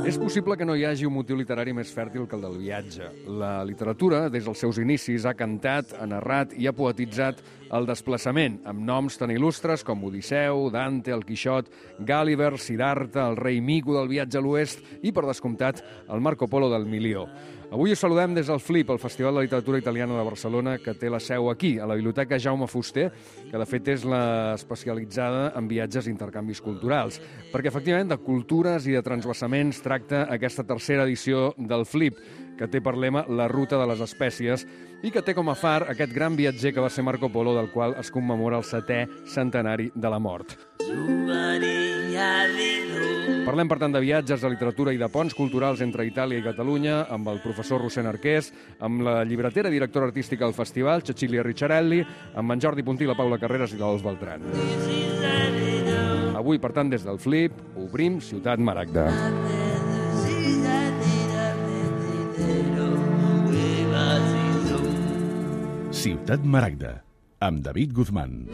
És possible que no hi hagi un motiu literari més fèrtil que el del viatge. La literatura, des dels seus inicis, ha cantat, ha narrat i ha poetitzat el desplaçament, amb noms tan il·lustres com Odisseu, Dante, el Quixot, Gulliver, Siddhartha, el rei Mico del viatge a l'oest i, per descomptat, el Marco Polo del milió. Avui us saludem des del FLIP, el Festival de Literatura Italiana de Barcelona, que té la seu aquí, a la Biblioteca Jaume Fuster, que de fet és la especialitzada en viatges i intercanvis culturals. Perquè, efectivament, de cultures i de transvasaments tracta aquesta tercera edició del FLIP, que té per lema la ruta de les espècies i que té com a far aquest gran viatger que va ser Marco Polo, del qual es commemora el 7è centenari de la mort. Parlem, per tant, de viatges, de literatura i de ponts culturals entre Itàlia i Catalunya amb el professor Rossend Arqués, amb la llibretera i directora artística del festival, Cecilia Ricciarelli, amb en Jordi Puntí, la Paula Carreras i l'Ols Beltran. Avui, per tant, des del FLIP, obrim Ciutat Maragda. Ciutat Maragda, amb David Guzmán.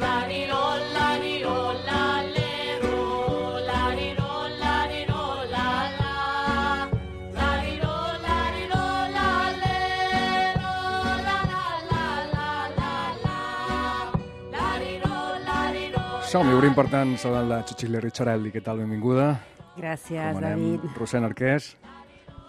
Som-hi, obrim, per tant, saludant la Cecilia Ricciarelli. Què tal? Benvinguda. Gràcies, David. Rossend Arqués.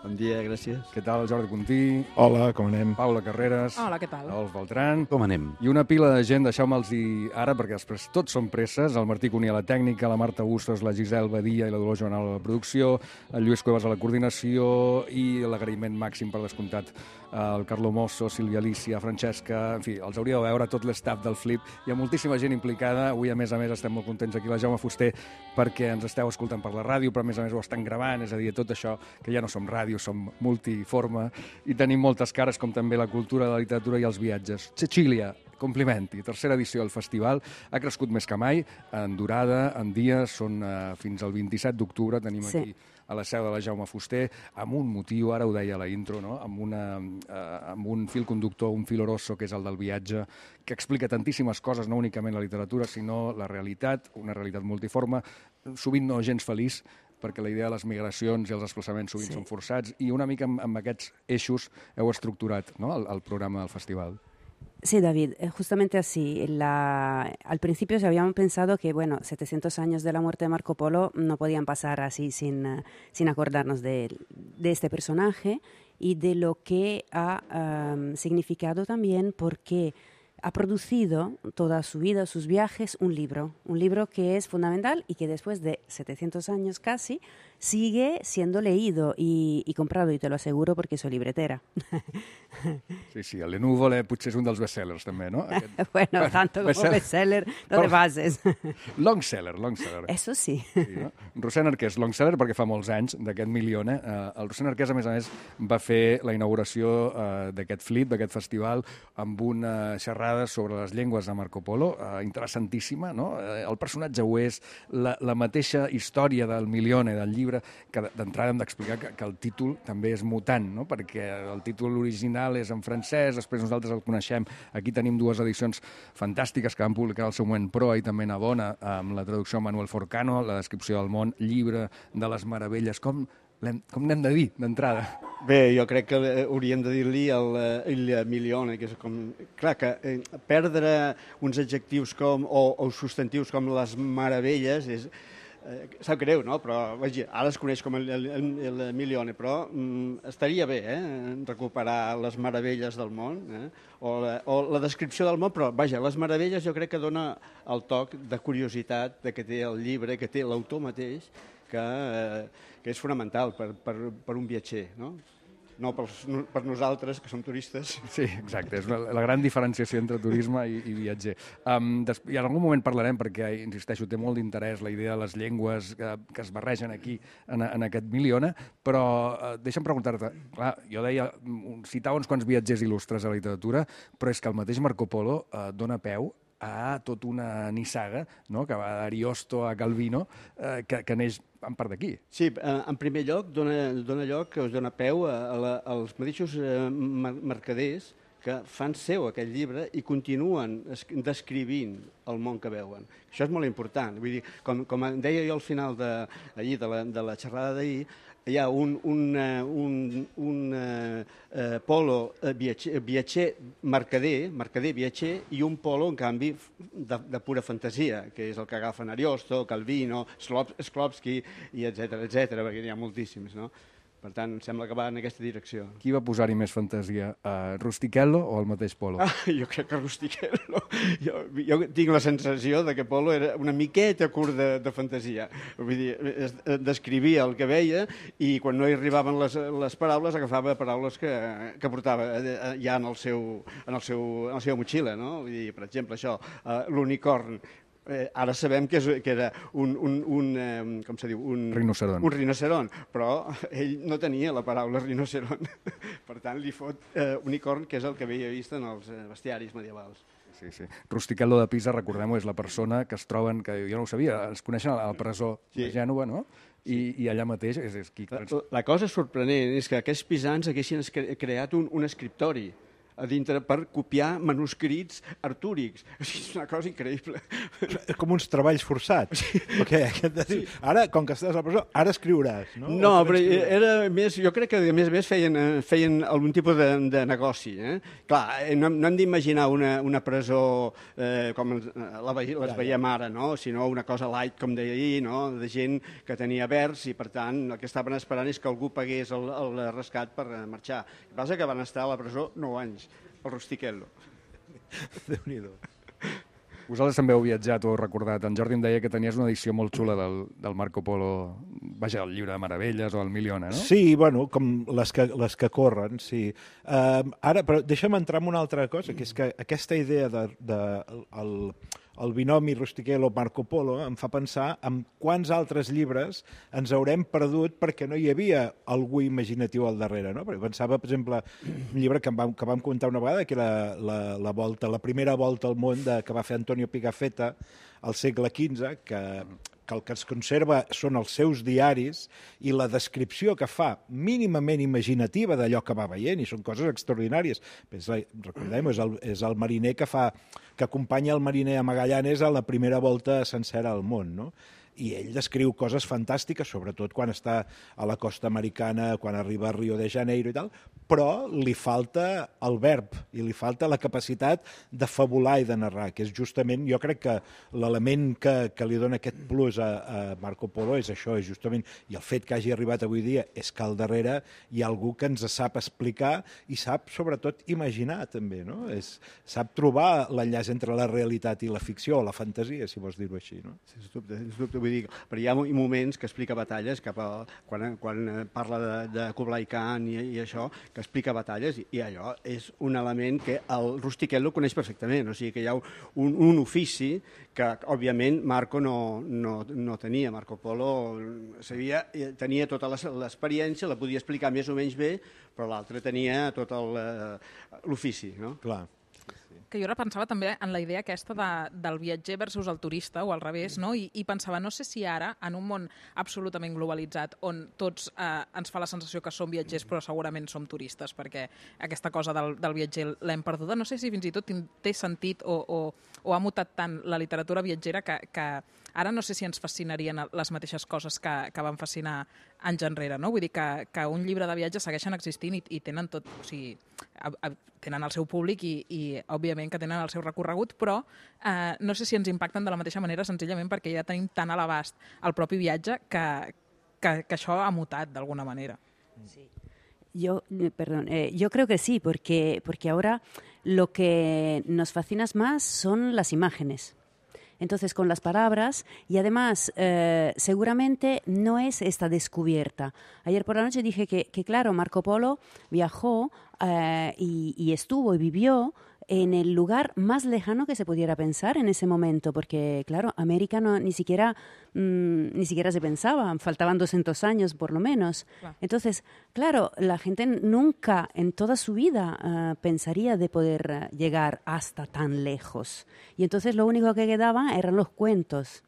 Bon dia, gràcies. Què tal, Jordi Puntí? Hola, com anem? Paula Carreras. Hola, què tal? Ols Beltran. Com anem? I una pila de gent, deixeu-me'ls dir ara, perquè després tots són presses. El Martí Cuní a la tècnica, la Marta Bustos, la Gisel Badia i la Dolors Joanal a la producció, el Lluís Cuevas a la coordinació i l'agraïment màxim, per descomptat, el Carlo Mosso, Sílvia Alicia, Francesca... En fi, els hauria de veure tot l'estaf del FLIP. Hi ha moltíssima gent implicada. Avui, a més, estem molt contents aquí a la Jaume Fuster perquè ens esteu escoltant per la ràdio, però a més ho estan gravant, és a dir, tot això, que ja no som ràdio, som multiforme i tenim moltes cares, com també la cultura, la literatura i els viatges. Cecilia, complimenti. Tercera edició del festival. Ha crescut més que mai, en durada, en dies, són fins al 27 d'octubre, tenim aquí a la seu de la Jaume Fuster, amb un motiu, ara ho deia a la intro, no? amb un fil conductor, un fil rosso, que és el del viatge, que explica tantíssimes coses, no únicament la literatura, sinó la realitat, una realitat multiforme, sovint no gens feliç, perquè la idea de les migracions i els desplaçaments sovint són forçats, i una mica amb aquests eixos heu estructurat, no? el programa del festival. Sí, David, justamente así. Al principio se habíamos pensado que, 700 años de la muerte de Marco Polo no podían pasar así sin acordarnos de este personaje y de lo que ha significado también, porque ha producido toda su vida, sus viajes, un libro que es fundamental y que después de 700 años casi sigue siendo leído y comprado, y te lo aseguro porque soy libretera. Sí, el Nuvole potser és un dels bestsellers també, no? Bueno, tanto como bestseller, no te bases. Longseller. Eso sí. No? Rossend Arqués, longseller perquè fa molts anys d'aquest milione. El Rossend Arqués, a més, va fer la inauguració d'aquest FLIP, d'aquest festival, amb una xerrada sobre les llengües de Marco Polo, interessantíssima, no? El personatge ho és, la mateixa història del milione, del llibre, que d'entrada hem d'explicar que el títol també és mutant, no? Perquè el títol original és en francès, després nosaltres el coneixem. Aquí tenim dues edicions fantàstiques que van publicar al seu moment Proa i també Navona, amb la traducció de Manuel Forcano, la descripció del món, llibre de les meravelles. Com n'hem de dir, d'entrada? Bé, jo crec que hauríem de dir-li il milione, que és com... Clar, que perdre uns adjectius o substantius com les meravelles és... Sap greu, no? Però ara es coneix com el milione, però estaria bé recuperar les meravelles del món, o la descripció del món, però les meravelles jo crec que dona el toc de curiositat que té el llibre, que té l'autor mateix, que és fonamental per un viatger, no? No per nosaltres, que som turistes. Sí, exacte, és la gran diferenciació entre turisme i viatger. I en algun moment parlarem, perquè, insisteixo, té molt d'interès la idea de les llengües que es barregen aquí en aquest milione, però deixa'm preguntar-te, clar, jo deia, citava uns quants viatgers il·lustres a la literatura, però és que el mateix Marco Polo dona peu a tota una nissaga, no? Que va d'Ariosto a Calvino, que neix en part d'aquí. Sí, en primer lloc dona peu als mateixos mercaders que fan seu aquell llibre i continuen descrivint el món que veuen. Això és molt important. Vull dir, com deia jo al final de la xerrada d'ahir, hi ha un polo viatger, mercader viatger, i un polo, en canvi, de pura fantasia, que és el que agafen Ariosto, Calvino, Shklovsky, i etcètera, perquè n'hi ha moltíssims, no? Per tant, em sembla que va en aquesta direcció. Qui va posar-hi més fantasia, Rustichello o el mateix Polo? Jo crec que Rustichello. Jo tinc la sensació de que Polo era una miqueta curt de fantasia. Vull dir, descrivia el que veia i quan no hi arribaven les paraules agafava paraules que portava ja en la seva motxilla, no? Vull dir, per exemple, això, l'unicorn. Ara sabem que era com se diu? Un rinoceront, però ell no tenia la paraula rinoceront. Per tant, li fot unicorn, que és el que havia vist en els bestiaris medievals. Sí. Rustichello de Pisa, recordem-ho, és la persona que es troben, que jo no ho sabia, es coneixen a la presó de Gènova, no? I allà mateix és qui... La cosa sorprenent és que aquests pisans haguessin creat un escriptori a dintre per copiar manuscrits artúrics. És una cosa increïble. Com uns treballs forçats. Okay. Ara, com que estàs a la presó, ara escriuràs, no? No, però era més... Jo crec que, a més feien algun tipus de negoci. Clar, no hem d'imaginar una presó com les veiem ara, no? Sinó una cosa light, com deia ahir, no? De gent que tenia vers i, per tant, el que estaven esperant és que algú pagués el rescat per marxar. El que passa que van estar a la presó 9 anys. El Rustichello. Déu-n'hi-do. Vosaltres també heu viatjat o heu recordat. En Jordi em deia que tenies una edició molt xula del Marco Polo, vaja, el llibre de meravelles o el Miliona, no? Sí, bueno, com les que corren, sí. Ara, però deixa'm entrar en una altra cosa, que és que aquesta idea el binomi Rustichello-Marco Polo em fa pensar en quants altres llibres ens haurem perdut perquè no hi havia algú imaginatiu al darrere, no? Perquè pensava, per exemple, un llibre que vam comentar una vegada, que era la primera volta al món que va fer Antonio Pigafetta al segle XV, que el que es conserva són els seus diaris i la descripció que fa mínimament imaginativa d'allò que va veient, i són coses extraordinàries. Recordem, és el mariner que acompanya el mariner a Magallanes a la primera volta sencera al món, no? I ell descriu coses fantàstiques, sobretot quan està a la costa americana, quan arriba a Rio de Janeiro i tal, però li falta el verb i li falta la capacitat de fabular i de narrar, que és justament, jo crec que l'element que li dona aquest plus a Marco Polo és això, és justament, i el fet que hagi arribat avui dia és que al darrere hi ha algú que ens sap explicar i sap, sobretot, imaginar també, no? Sap trobar l'enllaç entre la realitat i la ficció, o la fantasia, si vols dir-ho així, no? Sens dubte, vull dir, però hi ha moments que explica batalles, quan parla de Kublai Khan i això, que explica batalles, i allò és un element que el Rustichello coneix perfectament, o sigui que hi ha un ofici que, òbviament, Marco no tenia. Marco Polo tenia tota l'experiència, la podia explicar més o menys bé, però l'altre tenia tot l'ofici, no? Clar. Que jo ara pensava també en la idea aquesta del viatger versus el turista, o al revés, no? I pensava, no sé si ara, en un món absolutament globalitzat, on tots ens fa la sensació que som viatgers, però segurament som turistes, perquè aquesta cosa del viatger l'hem perduda, no sé si fins i tot té sentit o ha mutat tant la literatura viatgera que ara no sé si ens fascinarien les mateixes coses que van fascinar anys enrere, no? Vull dir que un llibre de viatge segueixen existint i tenen tot, o sigui, tenen el seu públic i òbviament que tenen el seu recorregut, però no sé si ens impacten de la mateixa manera senzillament perquè ja tenim tan a l'abast el propi viatge que això ha mutat d'alguna manera. Sí. Yo creo que sí, porque ahora lo que nos fascina más son las imágenes. Entonces, con las palabras, y además, seguramente no es esta descubierta. Ayer por la noche dije que claro, Marco Polo viajó y estuvo y vivió en el lugar más lejano que se pudiera pensar en ese momento, porque, claro, América ni siquiera se pensaba, faltaban 200 años por lo menos. Wow. Entonces, claro, la gente nunca en toda su vida pensaría de poder llegar hasta tan lejos. Y entonces lo único que quedaba eran los cuentos.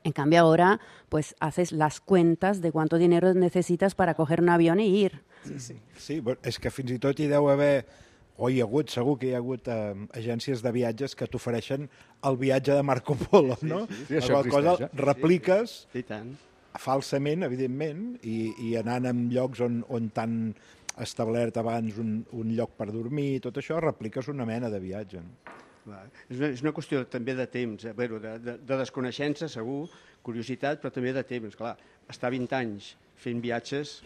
En cambio ahora, pues haces las cuentas de cuánto dinero necesitas para coger un avión e ir. Sí, és que fins i tot hi deu haver O hi ha hagut, segur que hi ha hagut agències de viatges que t'ofereixen el viatge de Marco Polo, no? Sí, La això qual cosa existeix, repliques I tant. falsament, evidentment, i anant en llocs on t'han establert abans un lloc per dormir, tot això, repliques una mena de viatge. No? Clar. És una qüestió també de temps, de desconeixença, segur, curiositat, però també de temps. Clar, estar 20 anys fent viatges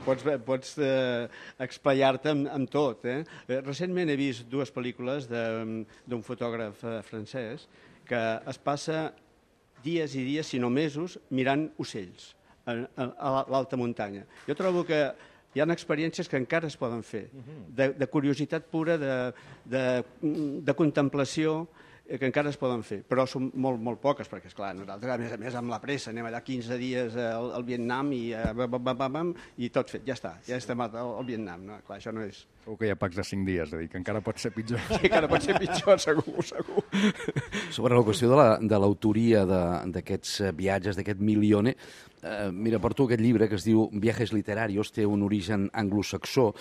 pots explayar-te amb tot. Recentment he vist 2 pel·lícules d'un fotògraf francès que es passa dies i dies, si no mesos, mirant ocells a l'alta muntanya. Jo trobo que hi ha experiències que encara es poden fer, de curiositat pura, de contemplació, que encara es poden fer, però són molt, molt poques, perquè, esclar, nosaltres, a més amb la pressa, anem allà 15 dies al Vietnam i tot fet, ja està, ja estem al Vietnam. No? Clar, això no és... Segur que hi ha packs de 5 dies, és a dir, que encara pot ser pitjor. Sí, encara pot ser pitjor, segur. Sobre la qüestió de l'autoria d'aquests viatges, d'aquest Milione, mira, porto aquest llibre que es diu Viajes literarios, té un origen anglosaxó,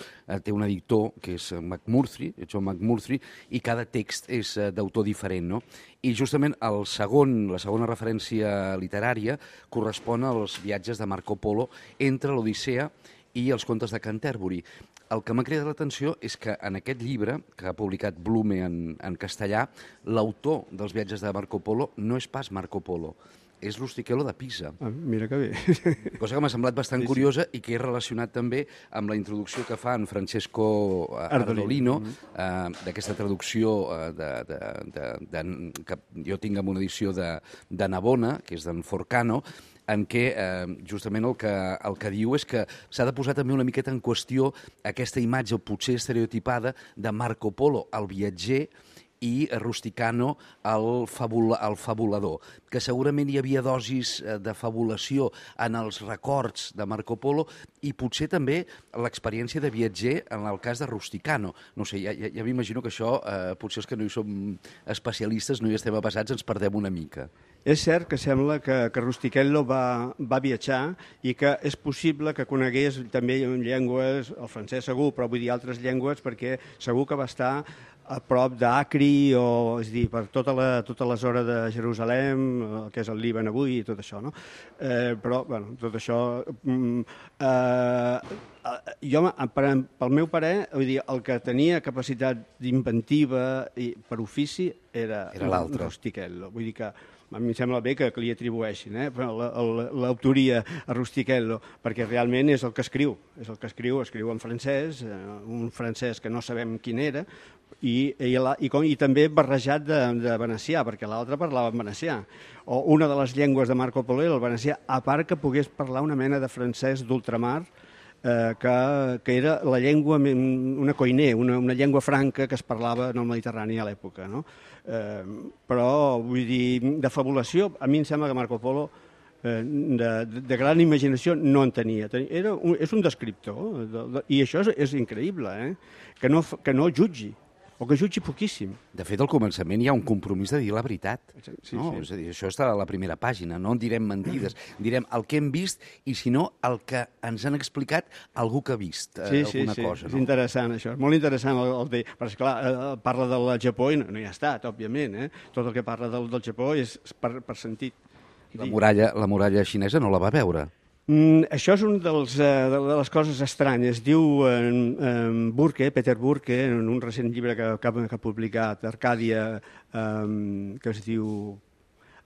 té un editor que és McMurtry, John McMurtry, i cada text és d'autor diferent, no? I justament la segona referència literària correspon als viatges de Marco Polo entre l'Odissea i els contes de Canterbury. El que m'ha cridat l'atenció és que en aquest llibre, que ha publicat Blume en castellà, l'autor dels viatges de Marco Polo no és pas Marco Polo, és l'Ustichello de Pisa. Mira que bé. Cosa que m'ha semblat bastant curiosa i que he relacionat també amb la introducció que fa en Francesco Ardolino, d'aquesta traducció que jo tinc en una edició de Navona, que és d'en Forcano, en què justament el que diu és que s'ha de posar també una miqueta en qüestió aquesta imatge potser estereotipada de Marco Polo, el viatger, i Rusticano, el fabulador, que segurament hi havia dosis de fabulació en els records de Marco Polo i potser també l'experiència de viatger en el cas de Rusticano. No sé, ja m'imagino que això, potser els que no hi som especialistes, no hi estem avesats, ens perdem una mica. És cert que sembla que Rustichello va viatjar i que és possible que conegués també llengües, el francès segur, però vull dir altres llengües, perquè segur que va estar a prop d'Acri, és a dir, per tota la zona de Jerusalem, que és el Líban avui i tot això, no? Però, bueno, tot això... Jo, pel meu parer, vull dir, el que tenia capacitat d'inventiva per ofici era Rustichello. Vull dir que a mi em sembla bé que li atribueixin l'autoria a Rustichello, perquè realment és el que escriu. És el que escriu en francès, un francès que no sabem quin era, i també barrejat de venecià, perquè l'altre parlava en venecià. O una de les llengües de Marco Polo era el venecià, a part que pogués parlar una mena de francès d'ultramar, que era la llengua, una koiné, una llengua franca que es parlava en el Mediterrani a l'època. No? Però, vull dir, de fabulació, a mi em sembla que Marco Polo de gran imaginació no en tenia. És un descriptor, i això és increïble, que no jutgi, o que jutgi poquíssim. De fet, al començament hi ha un compromís de dir la veritat. Sí. És a dir, això està a la primera pàgina, no en direm mentides, direm el que hem vist i, si no, el que ens han explicat algú que ha vist alguna cosa. És interessant, això. És molt interessant. Perquè, clar, parla del Japó i no hi ha estat, òbviament. Tot el que parla del Japó és per sentit. La muralla xinesa no la va veure. Això és una de les coses estranyes. Diu Peter Burke, en un recent llibre que ha publicat Arcàdia, que es diu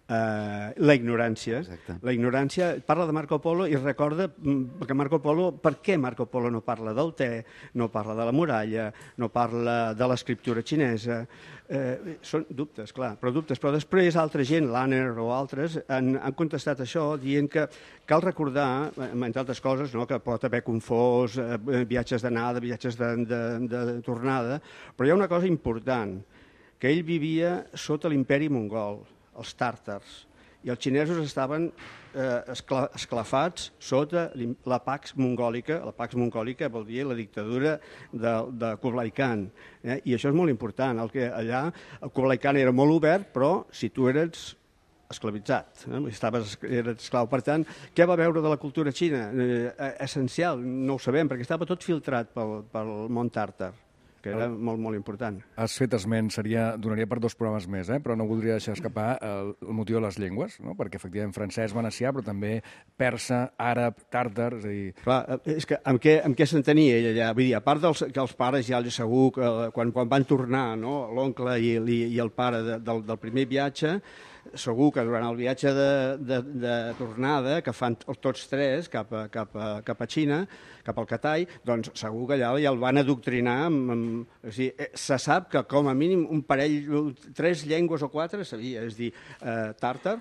La ignorància. Exacte. La ignorància parla de Marco Polo i recorda que per què Marco Polo no parla del te, no parla de la muralla, no parla de l'escriptura xinesa. Són dubtes, clar, però després altra gent, Lanner o altres, han contestat això dient que cal recordar, entre altres coses, que pot haver confós viatges d'anada, viatges de tornada, però hi ha una cosa important, que ell vivia sota l'imperi mongol, els tàrtars, i els xinesos estaven esclafats sota la Pax Mongòlica. La Pax Mongòlica vol dir la dictadura de Kublai Khan, i això és molt important. Allà el Kublai Khan era molt obert, però si tu eres esclavitzat, era esclau. Per tant, què va veure de la cultura xina? Essencial, no ho sabem, perquè estava tot filtrat pel món tàrtar, que era molt, molt important. Has fet esment, donaria per 2 programes més, però no voldria deixar escapar el motiu de les llengües, no? Perquè efectivament francès, venecià, però també persa, àrab, tàrtar, és a dir... Clar, és que amb què s'entenia ell allà? Vull dir, a part que els pares ja segur, quan van tornar, no? L'oncle i el pare del primer viatge, segur que durant el viatge de tornada, que fan tots 3 cap a Xina, cap al Catay, doncs segur que allà ja el van adoctrinar. O sigui, se sap que com a mínim un parell, 3 llengües o 4 sabia, és a dir, tàrtar,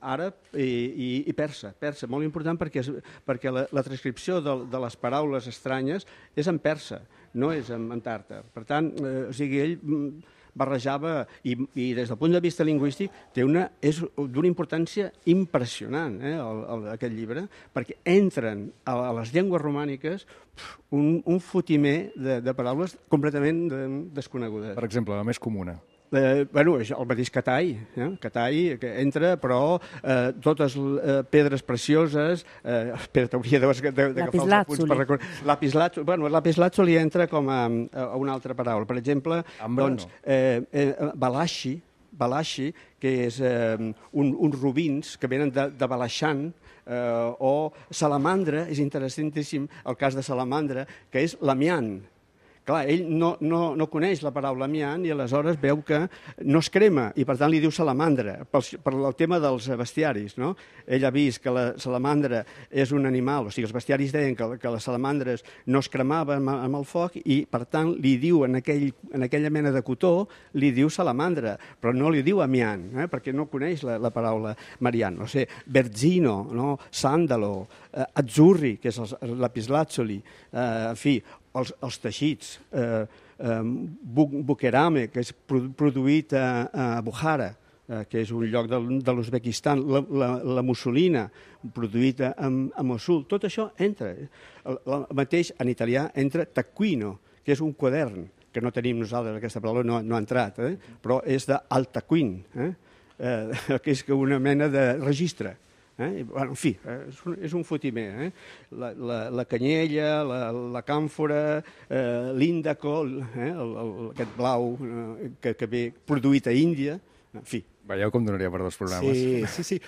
àrab i persa. Persa, molt important perquè la transcripció de les paraules estranyes és en persa, no és en tàrtar. Per tant, o sigui, ell barrejava, i des del punt de vista lingüístic és d'una importància impressionant, aquest llibre, perquè entren a les llengües romàniques un fotimer de paraules completament desconegudes. Per exemple, la més comuna. Bueno, el mateix Catay, Catay, que entra, però totes pedres precioses, espera, hauria d'agafar els apunts per recordar. Lapislàtzuli. Bueno, lapislàtzuli entra com a una altra paraula. Per exemple, doncs, balashi, que és uns robins que venen de Balaixant, o salamandra, és interessantíssim el cas de salamandra, que és l'amiant. Clar, ell no coneix la paraula amiant i aleshores veu que no es crema i per tant li diu salamandra, per el tema dels bestiaris, no? Ell ha vist que la salamandra és un animal, o sigui, els bestiaris deien que les salamandres no es cremaven amb el foc i per tant li diu en aquella mena de cotó, li diu salamandra, però no li diu amiant, perquè no coneix la paraula mariant. O sigui, berzino, no? Sàndalo, azzurri, que és el lapislàtzuli, en fi, els teixits, bukerame, que és produït a Bukhara, que és un lloc de l'Uzbekistan, la mussolina, produït a Mossul, tot això entra. El mateix en italià entra taccuino, que és un quadern, que no tenim nosaltres, aquesta paraula no ha entrat, però és d'al taccuin, que és una mena de registre. En fi, és un fotimer. La canyella, la càmfora, l'índaco, aquest blau que ve produït a Índia, en fi. Veieu com donaria per 2 programes. Sí.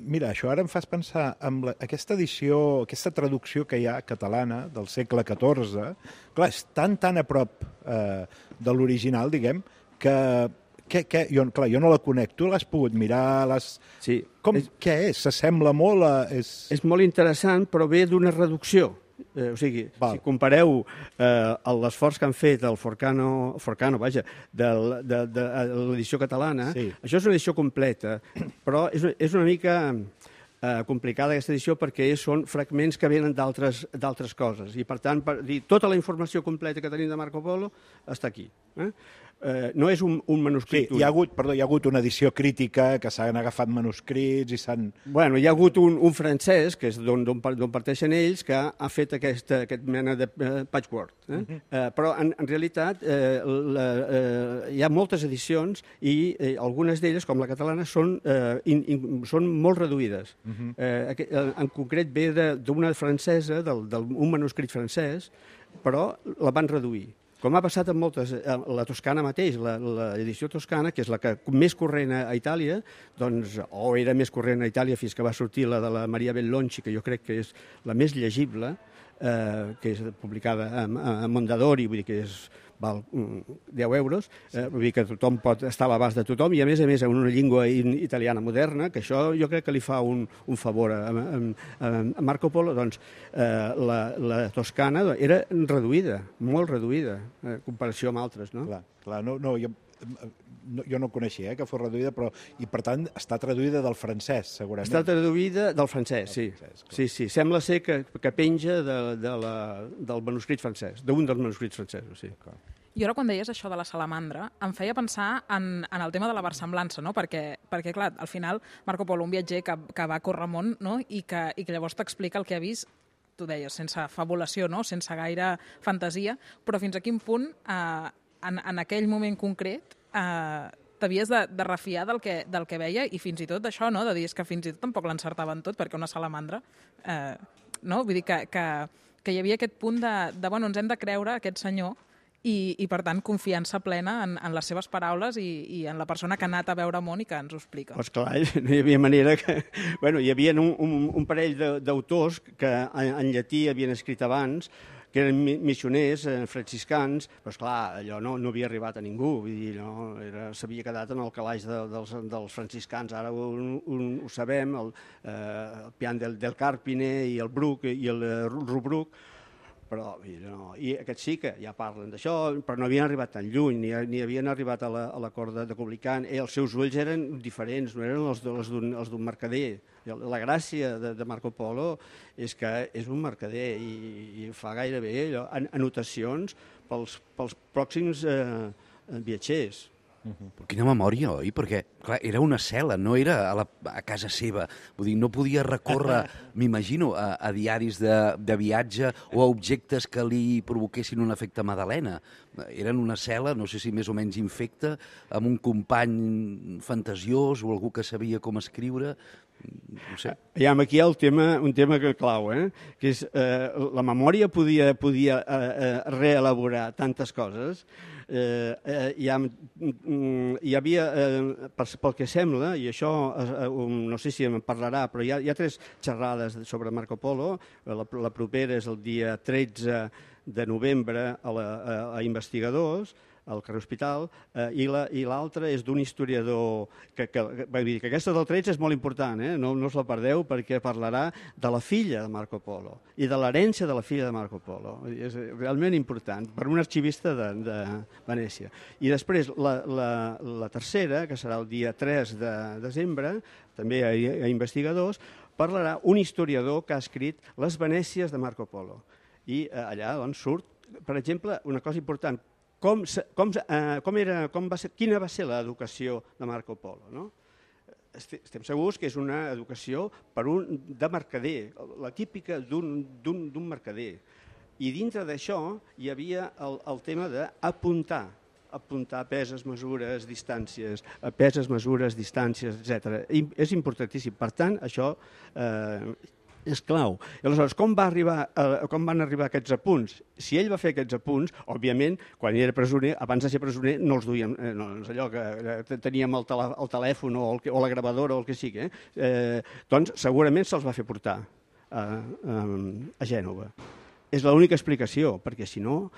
Mira, això ara em fas pensar en aquesta edició, aquesta traducció que hi ha catalana del segle XIV, clar, és tan a prop de l'original, diguem, que jo no la conec. Tu l'has pogut mirar? Sí. Què és? S'assembla molt a... És molt interessant, però ve d'una reducció. O sigui, si compareu l'esforç que han fet el Forcano, de l'edició catalana, això és una edició completa, però és una mica complicada aquesta edició perquè són fragments que venen d'altres coses i per tant tota la informació completa que tenim de Marco Polo està aquí. No és un manuscrit. Sí, hi ha hagut una edició crítica que s'han agafat manuscrits i s'han... Bueno, hi ha hagut un francès, que és d'on parteixen ells, que ha fet aquest mena de patchwork. Però en realitat hi ha moltes edicions i algunes d'elles, com la catalana, són molt reduïdes. En concret ve d'una francesa, d'un manuscrit francès, però la van reduir. Com ha passat amb moltes, la toscana mateix, l'edició toscana, que és la que més corrent a Itàlia, doncs, o era més corrent a Itàlia fins que va sortir la de la Maria Bellonci, que jo crec que és la més llegible, que és publicada a Mondadori, vull dir que val 10 euros, vull dir que tothom pot estar a l'abast de tothom, i a més en una llengua italiana moderna, que això jo crec que li fa un favor a Marco Polo, doncs la toscana era reduïda, molt reduïda, en comparació amb altres, no? Clar, jo no coneixia que fos reduïda, però, i per tant està traduïda del francès, segurament. Està traduïda del francès, sí. Sí, sembla ser que penja del manuscrit francès, d'un dels manuscrits francesos, sí. I ara, quan deies això de la salamandra, em feia pensar en el tema de la versemblança, no? Perquè clar, al final, Marco Polo, un viatger que va córrer món, no? I que llavors t'explica el que ha vist, tu deies, sense fabulació, no? Sense gaire fantasia, però fins a quin punt, en aquell moment concret, t'havies de refiar del que veia i fins i tot d'això, no? De dir que fins i tot tampoc l'encertaven tot, perquè una salamandra, no? Vull dir que hi havia aquest punt de bueno, ens hem de creure aquest senyor i per tant, confiança plena en les seves paraules i en la persona que ha anat a veure món i que ens ho explica. Pues clar, no hi havia manera que... Bueno, hi havia un parell d'autors que en llatí havien escrit abans, que eren missioners franciscans, però esclar, allò no havia arribat a ningú, vull dir, s'havia quedat en el calaix dels franciscans, ara ho sabem, el Pian del Carpine i el Bruc i el Rubruc, però i aquests sí que ja parlen d'això, però no havien arribat tan lluny, ni havien arribat a la cort de Coblican, els seus ulls eren diferents, no eren els d'un mercader. La gràcia de Marco Polo és que és un mercader i fa gairebé anotacions pels pròxims viatgers. Quina memòria, oi? Perquè, clar, era una cel·la, no era a casa seva. Vull dir, no podia recórrer, m'imagino, a diaris de viatge o a objectes que li provoquessin un efecte Madalena. Eren una cel·la, no sé si més o menys infecta, amb un company fantasiós o algú que sabia com escriure. No sé. Aquí hi ha un tema clau, que és la memòria podia reelaborar tantes coses. Hi havia, pel que sembla, i això no sé si en parlarà, però hi ha 3 xerrades sobre Marco Polo. La propera és el dia 13 de novembre a Investigadors, al carrer Hospital, i l'altra és d'un historiador que aquesta del 13 és molt important, no us la perdeu, perquè parlarà de la filla de Marco Polo i de l'herència de la filla de Marco Polo. És realment important per un arxivista de Venècia. I després la tercera, que serà el dia 3 de desembre, també a Investigadors, parlarà un historiador que ha escrit les Venècies de Marco Polo. I allà surt, per exemple, una cosa important, quina va ser l'educació de Marco Polo, no? Estem segurs que és una educació de mercader, la típica d'un mercader. I dintre d'això hi havia el tema d'apuntar peses, mesures, distàncies, etc. És importantíssim. Per tant, això és clau. I aleshores, com van arribar aquests apunts? Si ell va fer aquests apunts, òbviament, quan era presoner, abans de ser presoner, no els duíem, és allò que teníem el telèfon o la gravadora o el que sigui, doncs segurament se'ls va fer portar a Gènova. És l'única explicació, perquè si no,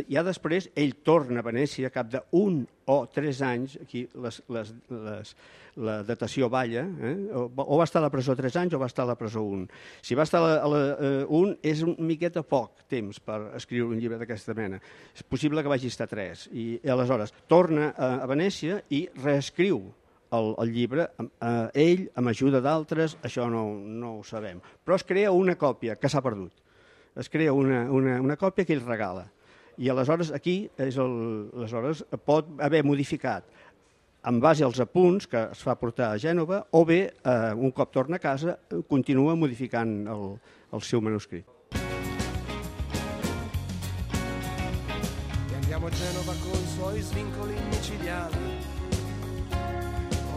ja després ell torna a Venècia, cap d'1 o 3 anys, aquí la datació balla, o va estar a la presó 3 anys o va estar a la presó 1. Si va estar a la 1 és una miqueta poc temps per escriure un llibre d'aquesta mena. És possible que vagi estar 3. I aleshores torna a Venècia i reescriu el llibre, ell, amb ajuda d'altres, això no ho sabem. Però es crea una còpia que s'ha perdut. Es crea una còpia que ell regala. I aleshores aquí aleshores pot haver modificat en base als apunts que es fa portar a Gènova o bé, un cop torna a casa, continua modificant el seu manuscrit. E andiamo a Genova con i suoi svincoli micidiali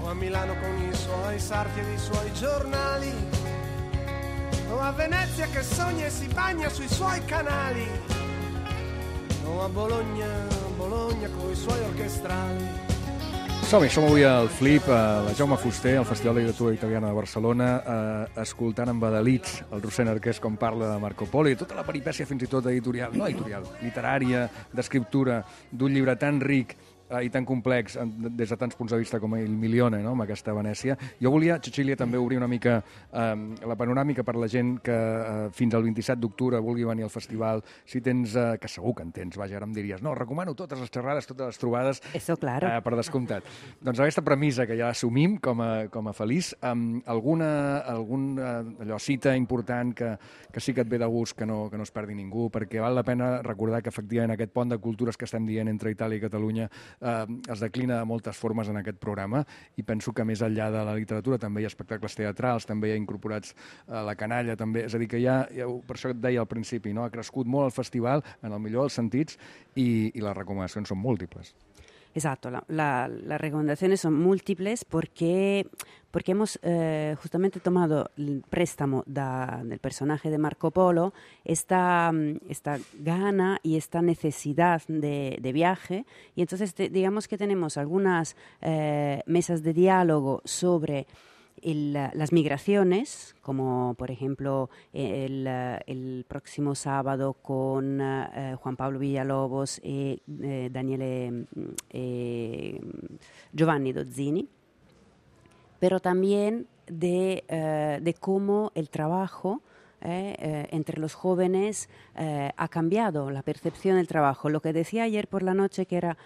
o a Milano con i suoi sarti e i suoi giornali o a Venezia che sogna e si bagna sui suoi canali o a Bologna con i suoi orchestrali. Som avui al Flip, a la Jaume Fuster, al Festival de Literatura Italiana de Barcelona, escoltant amb adalits el Rossend Arqués com parla de Marco Polo i tota la peripècia fins i tot literària, d'escriptura, d'un llibre tan ric i tan complex des de tants punts de vista com el Milione, no?, amb aquesta Venècia. Jo volia, Cecília, també obrir una mica la panoràmica per la gent que fins al 27 d'octubre vulgui venir al festival. Si tens, que segur que en tens, vaja, ara em diries, no, recomano totes les xerrades, totes les trobades. Eso, claro. Per descomptat. Doncs aquesta premissa que ja assumim com a feliç, algun cita important que sí que et ve de gust, que no es perdi ningú, perquè val la pena recordar que efectivament aquest pont de cultures que estem dient entre Itàlia i Catalunya es declina de moltes formes en aquest programa i penso que més enllà de la literatura també hi ha espectacles teatrals, també hi ha incorporats la canalla, també, és a dir que per això et deia al principi, no? Ha crescut molt el festival en el millor dels sentits i les recomanacions són múltiples. Exacto, las recomendaciones son múltiples porque hemos justamente tomado el préstamo del personaje de Marco Polo, esta gana y esta necesidad de viaje, y entonces digamos que tenemos algunas mesas de diálogo sobre las migraciones, como por ejemplo el próximo sábado con Juan Pablo Villalobos y Giovanni Dozzini, pero también de cómo el trabajo entre los jóvenes ha cambiado la percepción del trabajo. Lo que decía ayer por la noche, que era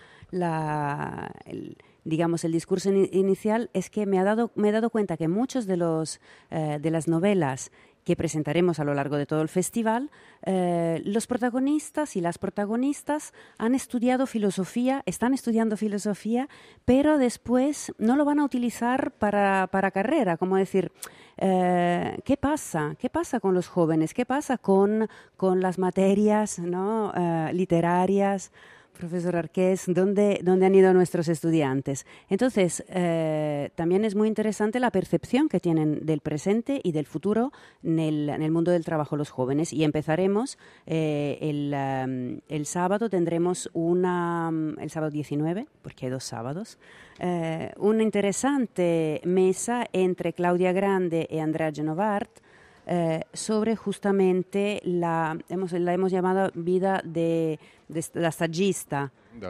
digamos, el discurso inicial, es que me he dado cuenta que muchos de las novelas que presentaremos a lo largo de todo el festival, los protagonistas y las protagonistas han estudiado filosofía, están estudiando filosofía, pero después no lo van a utilizar para carrera, como decir, ¿qué pasa? ¿Qué pasa con los jóvenes? ¿Qué pasa con las materias, ¿no? Literarias? Profesor Arqués, ¿dónde han ido nuestros estudiantes? Entonces, también es muy interesante la percepción que tienen del presente y del futuro en el mundo del trabajo los jóvenes. Y empezaremos el sábado, tendremos el sábado 19, porque hay 2 sábados, una interesante mesa entre Claudia Grande y Andrea Genovart, sobre justamente la hemos llamado vida de la stagista. De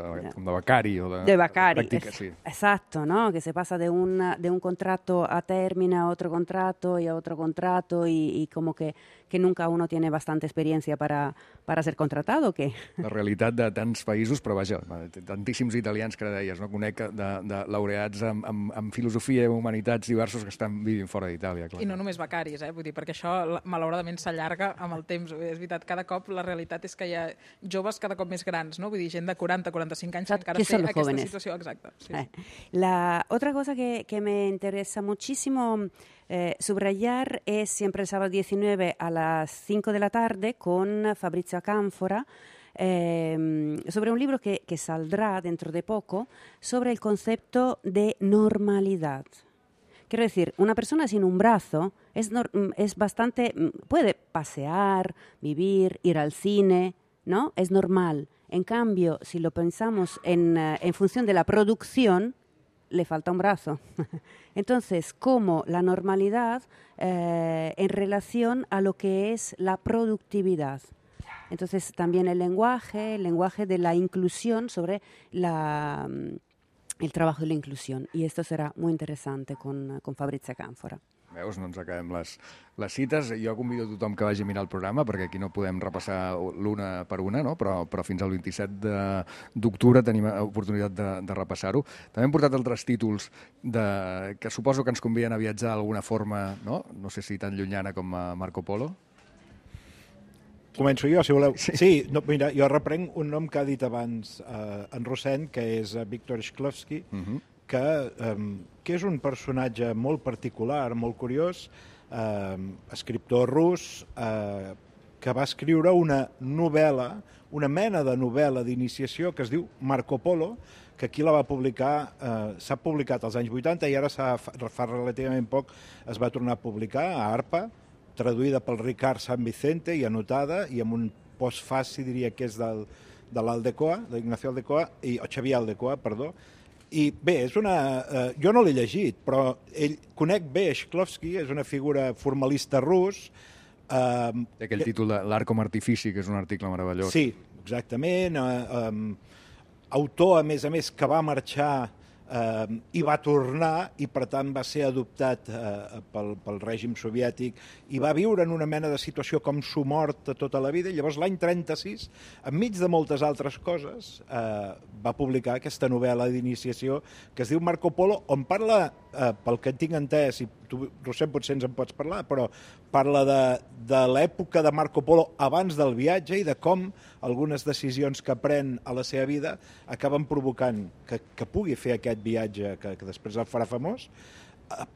becari o de becari, pràctica, sí. Exacto, ¿no? Que se pasa de un contrato a término a otro contrato y a otro contrato y como que nunca uno tiene bastante experiencia para ser contratado. Que... La realitat de tants països, però vaja, tantíssims italians que ara deies, no? Conec de laureats amb filosofia i humanitats diversos que estan vivint fora d'Itàlia. I no només becaris, vull dir, perquè això malauradament s'allarga amb el temps. És veritat, cada cop la realitat és que hi ha joves cada cop més grans, no? Vull dir, gent de 40, 45 anys que encara té aquesta jóvenes? Situació. Exacte. Sí. La otra cosa que me interesa muchísimo subrayar es siempre el sábado 19 a las 5 de la tarde con Fabrizio Acánfora, sobre un libro que saldrá dentro de poco, sobre el concepto de normalidad. Quiero decir, una persona sin un brazo es bastante... puede pasear, vivir, ir al cine, ¿no? Es normal. En cambio, si lo pensamos en función de la producción, le falta un brazo. Entonces, ¿cómo la normalidad en relación a lo que es la productividad? Entonces, también el lenguaje de la inclusión sobre el trabajo de la inclusión. Y esto será muy interesante con Fabrizio Acánfora. Veus, no ens acabem les cites. Jo convido a tothom que vagi a mirar el programa, perquè aquí no podem repassar l'una per una, no? Però fins al 27 d'octubre tenim oportunitat de repassar-ho. També hem portat altres títols que suposo que ens conviden a viatjar d'alguna forma, no? No sé si tan llunyana com a Marco Polo. Començo jo, si voleu. Sí, no, mira, jo reprenc un nom que ha dit abans en Rossent, que és Viktor Shklovsky, que és un personatge molt particular, molt curiós, escriptor rus, que va escriure una novel·la, una mena de novel·la d'iniciació que es diu Marco Polo, que aquí la va publicar, s'ha publicat als anys 80 i ara fa relativament poc es va tornar a publicar a ARPA, traduïda pel Ricard San Vicente i anotada, i amb un postfaci, diria que és de l'Aldecoa, d'Ignacio Aldecoa, o Xavier Aldecoa, perdó. I bé, jo no l'he llegit, però conec bé Shklovsky, és una figura formalista rus. Aquell títol de L'art com a artifici, que és un article meravellós. Sí, exactament. Autor, a més, que va marxar i va tornar, i per tant va ser adoptat pel règim soviètic i va viure en una mena de situació com somort tota la vida, i llavors l'any 36, enmig de moltes altres coses, va publicar aquesta novel·la d'iniciació que es diu Marco Polo, on parla, pel que tinc entès, i tu, Rossent, potser ens en pots parlar, però parla de l'època de Marco Polo abans del viatge i de com algunes decisions que pren a la seva vida acaben provocant que pugui fer aquest viatge que després el farà famós,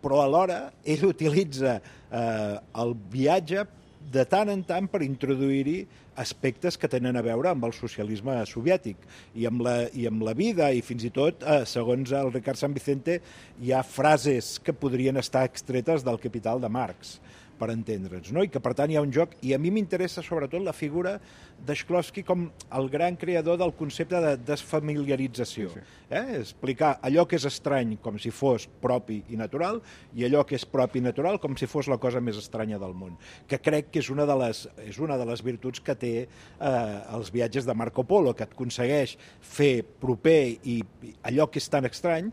però alhora ell utilitza el viatge de tant en tant per introduir-hi aspectes que tenen a veure amb el socialisme soviètic i amb la vida, i fins i tot, segons el Ricard San Vicente, hi ha frases que podrien estar extretes del Capital de Marx, per entendre'ns, no? I que per tant hi ha un joc, i a mi m'interessa sobretot la figura de Shklovsky com el gran creador del concepte de desfamiliarització. Explicar allò que és estrany com si fos propi i natural i allò que és propi i natural com si fos la cosa més estranya del món, que crec que és una de les virtuts que té els viatges de Marco Polo, que et aconsegueix fer proper i allò que és tan estrany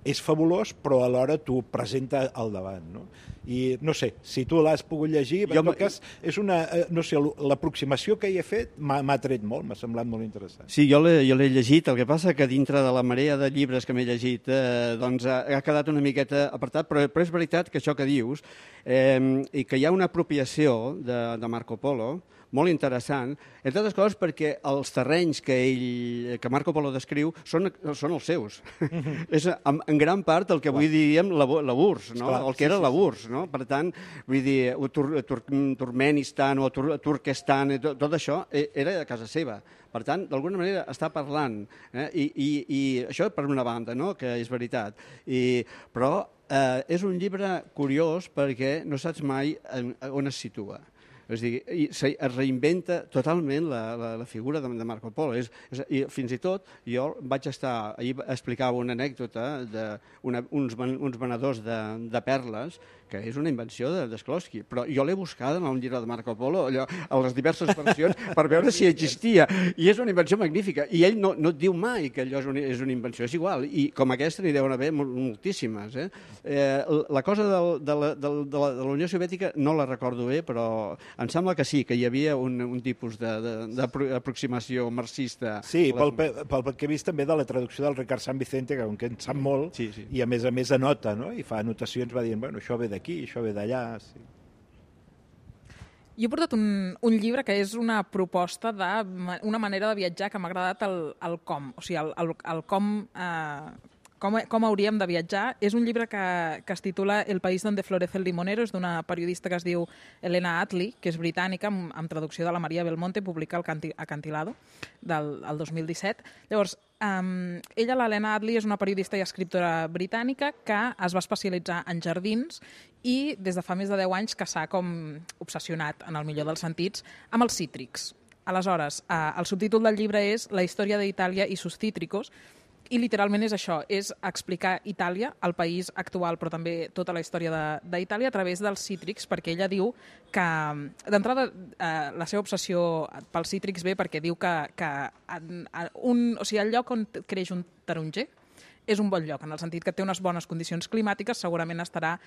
és fabulós, però alhora t'ho presenta al davant, no? I no sé, si tu l'has pogut llegir, en tot cas, és una, no sé, l'aproximació que hi he fet m'ha tret molt, m'ha semblat molt interessant. Sí, jo l'he llegit, el que passa que dintre de la marea de llibres que m'he llegit, doncs ha quedat una miqueta apartat, però és veritat que això que dius, i que hi ha una apropiació de Marco Polo, molt interessant, entre altres coses perquè els terrenys que Marco Polo descriu són els seus. És en gran part el que avui diríem la URSS, no? El que era la URSS, no? Per tant, vull dir, Turkmenistan o Turquestan, tot això era a casa seva. Per tant, d'alguna manera està parlant, i això per una banda, no? Que és veritat. Però és un llibre curiós perquè no saps mai on es situa. És a dir, es reinventa totalment la figura de Marco Polo. I fins i tot, jo vaig estar, ahir explicava una anècdota d'uns venedors de perles, que és una invenció de Shklovsky, però jo l'he buscada en un llibre de Marco Polo, allò, a les diverses versions, per veure si existia, i és una invenció magnífica, i ell no et diu mai que allò és una invenció, és igual, i com aquesta n'hi deuen haver moltíssimes. La cosa de la Unió Soviètica no la recordo bé, però em sembla que sí, que hi havia un tipus d'aproximació marxista. Sí, pel que he vist també de la traducció del Ricard San Vicente, que en sap molt, i a més anota, no? I fa anotacions, va dient, bueno, això ve d'aquí, això ve d'allà. Sí. Jo he portat un llibre que és una proposta d'una manera de viatjar que m'ha agradat el com, o sigui, el com hauríem de viatjar. És un llibre que es titula El país donde florece el limonero, és d'una periodista que es diu Elena Attlee, que és britànica, amb traducció de la Maria Belmonte, publica el Acantilado del 2017. Llavors, ella, l'Helena Attlee, és una periodista i escriptora britànica que es va especialitzar en jardins i des de fa més de 10 anys que s'ha com obsessionat, en el millor dels sentits, amb els cítrics. Aleshores, el subtítol del llibre és La història d'Itàlia i sus cítricos, i literalment és això, és explicar Itàlia, el país actual, però també tota la història d'Itàlia a través dels cítrics, perquè ella diu que, d'entrada, la seva obsessió pels cítrics ve perquè diu que el lloc on creix un taronger és un bon lloc, en el sentit que té unes bones condicions climàtiques, segurament estarà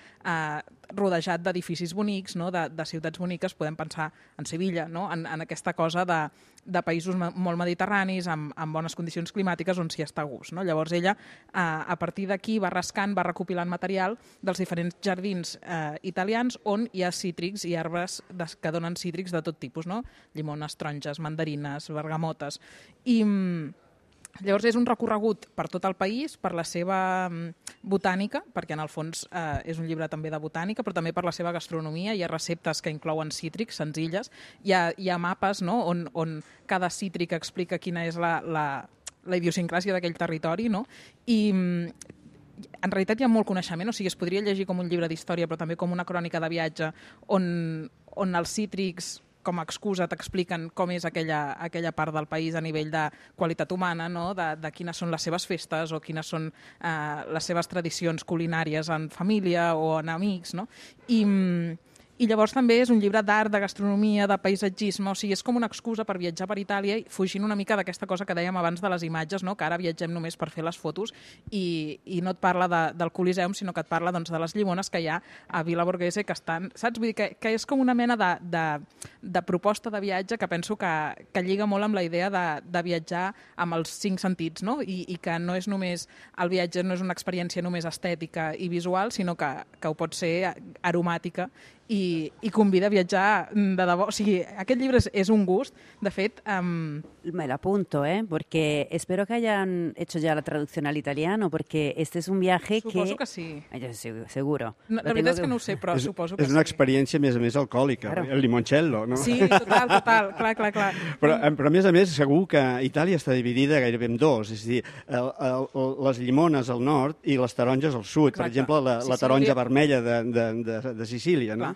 rodejat d'edificis bonics, no? de ciutats boniques, podem pensar en Sevilla, no? en aquesta cosa de països molt mediterranis, amb bones condicions climàtiques, on s'hi està a gust. No? Llavors ella, a partir d'aquí, va rascant, va recopilant material dels diferents jardins italians on hi ha cítrics i arbres que donen cítrics de tot tipus, no? Llimones, taronges, mandarines, bergamotes. I llavors és un recorregut per tot el país, per la seva botànica, perquè en el fons és un llibre també de botànica, però també per la seva gastronomia. Hi ha receptes que inclouen cítrics senzilles, hi ha mapes, no? on cada cítric explica quina és la idiosincràsia d'aquell territori, no? I en realitat hi ha molt coneixement, o sigui, es podria llegir com un llibre d'història, però també com una crònica de viatge, on els cítrics com a excusa t'expliquen com és aquella part del país a nivell de qualitat humana, no? de quines són les seves festes o quines són les seves tradicions culinàries en família o en amics. No? I llavors també és un llibre d'art, de gastronomia, de paisatgisme, o sigui, és com una excusa per viatjar per Itàlia, fugint una mica d'aquesta cosa que dèiem abans de les imatges, no? Que ara viatgem només per fer les fotos i no et parla del Coliseum, sinó que et parla doncs, de les llimones que hi ha a Villa Borghese, que estan, saps? Vull dir que és com una mena de proposta de viatge que penso que lliga molt amb la idea de viatjar amb els 5 sentits, no? I que no és només, el viatge no és una experiència només estètica i visual, sinó que ho pot ser aromàtica i convida a viatjar de debò. O sigui, aquest llibre és un gust. De fet, Me lo apunto, porque espero que hayan hecho ya la traducción al italiano, porque este es un viaje Suposo que sí. Seguro. No, la veritat és que no ho sé, però suposo que És una sí. experiència, a més alcohòlica, Claro. el limoncello, no? Sí, total, clar. Però a més, segur que Itàlia està dividida gairebé en dos, és a dir, les llimones al nord i les taronges al sud. Per Exacte. exemple, la Sicília. taronja vermella de Sicília, no?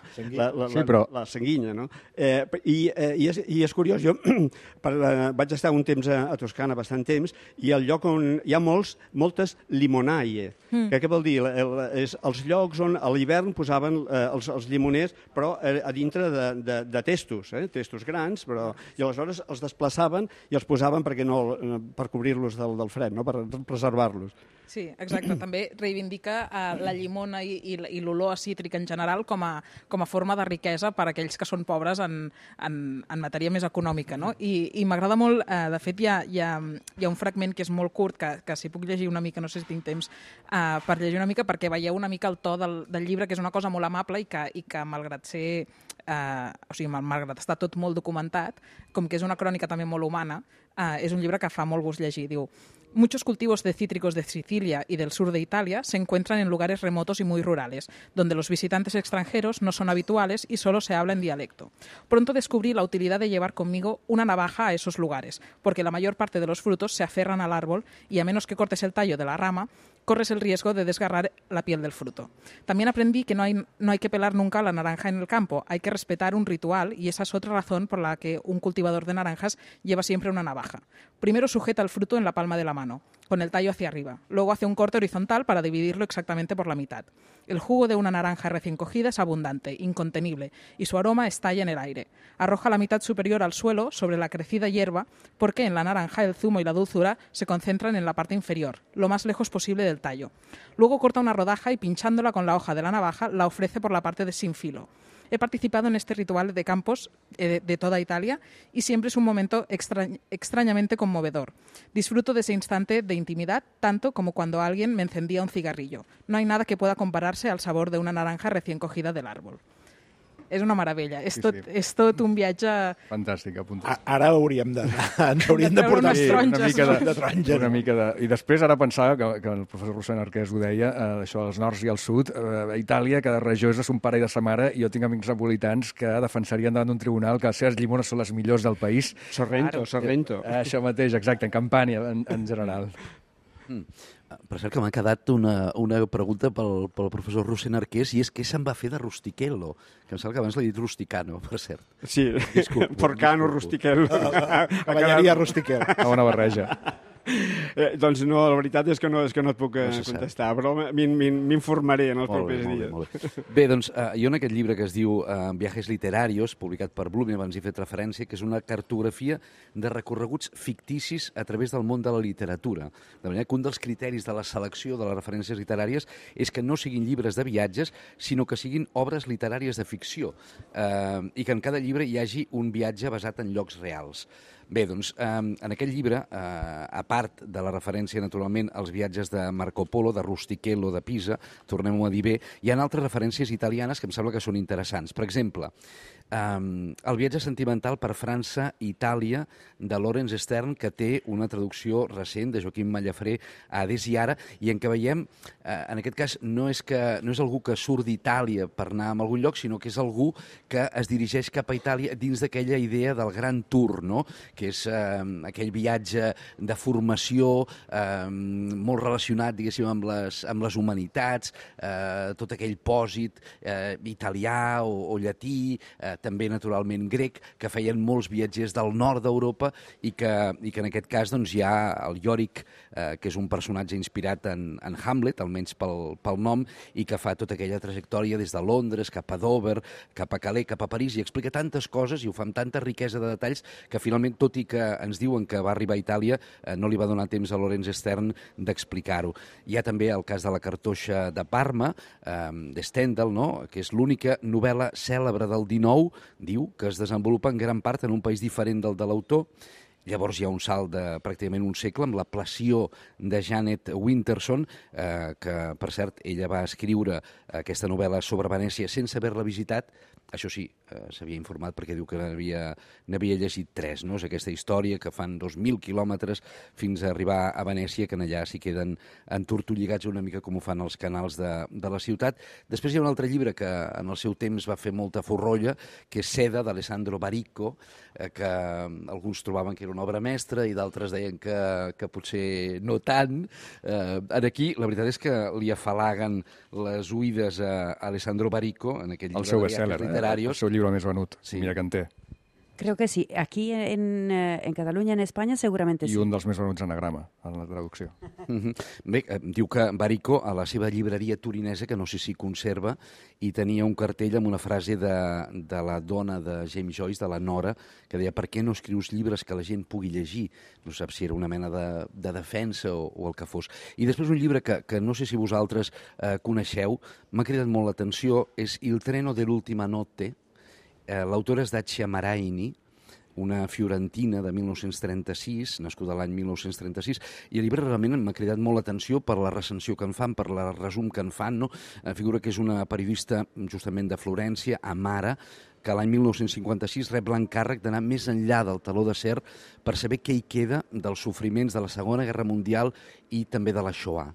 La sanguinya, no? I és curiós, jo vaig estar un temps a Toscana, bastant temps, i el lloc on hi ha moltes limonaie. Què vol dir? És els llocs on a l'hivern posaven els llimoners, però a dintre de testos, testos grans, i aleshores els desplaçaven i els posaven per cobrir-los del fred, no? Per preservar-los. Sí, exacte. També reivindica la llimona i l'olor a cítric en general com a forma de riquesa per a aquells que són pobres en matèria més econòmica, no? I m'agrada molt, de fet, hi ha un fragment que és molt curt, que si puc llegir una mica, no sé si tinc temps per llegir una mica, perquè veieu una mica el to del llibre, que és una cosa molt amable i que malgrat ser... malgrat estar tot molt documentat, com que és una crònica també molt humana, és un llibre que fa molt gust llegir. Diu: muchos cultivos de cítricos de Sicilia y del sur de Italia se encuentran en lugares remotos y muy rurales, donde los visitantes extranjeros no son habituales y solo se habla en dialecto. Pronto descubrí la utilidad de llevar conmigo una navaja a esos lugares, porque la mayor parte de los frutos se aferran al árbol y a menos que cortes el tallo de la rama, corres el riesgo de desgarrar la piel del fruto. También aprendí que no hay que pelar nunca la naranja en el campo, hay que respetar un ritual y esa es otra razón por la que un cultivador de naranjas lleva siempre una navaja. Primero sujeta el fruto en la palma de la mano, con el tallo hacia arriba. Luego hace un corte horizontal para dividirlo exactamente por la mitad. El jugo de una naranja recién cogida es abundante, incontenible, y su aroma estalla en el aire. Arroja la mitad superior al suelo, sobre la crecida hierba, porque en la naranja el zumo y la dulzura se concentran en la parte inferior, lo más lejos posible del tallo. Luego corta una rodaja y pinchándola con la hoja de la navaja la ofrece por la parte de sin filo. He participado en este ritual de campos de toda Italia y siempre es un momento extrañamente conmovedor. Disfruto de ese instante de intimidad tanto como cuando alguien me encendía un cigarrillo. No hay nada que pueda compararse al sabor de una naranja recién cogida del árbol. És una meravella. És tot un viatge... Fantàstic, apuntat. Ara ens hauríem de portar de taronja. Una mica de... I després ara pensava que el professor Rossend Arqués ho deia, això dels nords i el sud, a Itàlia cada regió és de son pare i de sa mare, i jo tinc amics napolitans que defensarien davant d'un tribunal que les seves llimones són les millors del país. Sorrento. Això mateix, exacte, en Campània, en general. Per cert, que m'ha quedat una pregunta pel professor Rossend Arqués, i és què se'n va fer de Rustichello? Que em sembla que abans l'he dit Rusticano, per cert. Sí, Porcano, Rustichello. Cavalleria Rustichello. Una barreja. Doncs no, la veritat és que no et puc contestar, però m'informaré en els propers dies. Molt bé. Bé, doncs, jo en aquest llibre que es diu Viajes literarios, publicat per Bloom, i abans hi he fet referència, que és una cartografia de recorreguts ficticis a través del món de la literatura. De manera que un dels criteris de la selecció de les referències literàries és que no siguin llibres de viatges, sinó que siguin obres literàries de ficció, i que en cada llibre hi hagi un viatge basat en llocs reals. Bé, doncs, en aquest llibre, a part de la referència, naturalment, als viatges de Marco Polo, de Rustichello, de Pisa, tornem-ho a dir bé, hi ha altres referències italianes que em sembla que són interessants. Per exemple, el viatge sentimental per França i Itàlia de Laurence Sterne, que té una traducció recent de Joaquim Mallafré a Adés i Ara, i en què veiem, en aquest cas, no és algú que surt d'Itàlia per anar a algun lloc, sinó que és algú que es dirigeix cap a Itàlia dins d'aquella idea del Gran Tour, no?, que és aquell viatge de formació molt relacionat, diguéssim, amb les humanitats, tot aquell pòsit italià o llatí, també naturalment grec, que feien molts viatgers del nord d'Europa i que en aquest cas doncs, hi ha el Yorick, que és un personatge inspirat en Hamlet, almenys pel nom, i que fa tota aquella trajectòria des de Londres, cap a Dover, cap a Calais, cap a París, i explica tantes coses i ho fa amb tanta riquesa de detalls que finalment, tot i que ens diuen que va arribar a Itàlia, no li va donar temps a Laurence Sterne d'explicar-ho. Hi ha també el cas de la cartoixa de Parma, de Stendhal, no?, que és l'única novel·la cèlebre del XIX, diu, que es desenvolupa en gran part en un país diferent del de l'autor, Llavors hi ha un salt de pràcticament un segle amb la Passió de Janet Winterson, que, per cert, ella va escriure aquesta novel·la sobre Venècia sense haver-la visitat. Això sí, s'havia informat perquè diu que n'havia llegit 3, no? És aquesta història que fan 2.000 quilòmetres fins a arribar a Venècia, que allà s'hi queden entortolligats una mica com ho fan els canals de la ciutat. Després hi ha un altre llibre que en el seu temps va fer molta forrolla, que és Seda, d'Alessandro Baricco, que alguns trobaven que era una obra mestra i d'altres deien que potser no tant. Aquí la veritat és que li afalaguen les oïdes a Alessandro Baricco en aquell llibre el seu de best-seller, viatges literaris. el seu llibre més venut, Sí. mira que en té. Creo que sí. Aquí en Catalunya, en España, seguramente I sí. un dels més venuts anagrama, en la traducció. Bé, diu que Baricco, a la seva llibreria torinesa, que no sé si conserva, hi tenia un cartell amb una frase de la dona de James Joyce, de la Nora, que deia: per què no escrius llibres que la gent pugui llegir? No sap si era una mena de defensa o el que fos. I després un llibre que no sé si vosaltres coneixeu, m'ha cridat molt l'atenció, és Il treno dell'ultima notte. L'autora és Dacia Maraini, una fiorentina de 1936, nascuda l'any 1936, i el llibre realment m'ha cridat molt l'atenció per la recensió que en fan, per la resum que en fan, no? Figura que és una periodista justament de Florència, Amara, que l'any 1956 rep l'encàrrec d'anar més enllà del teló d'acer per saber què hi queda dels sofriments de la Segona Guerra Mundial i també de la Shoah.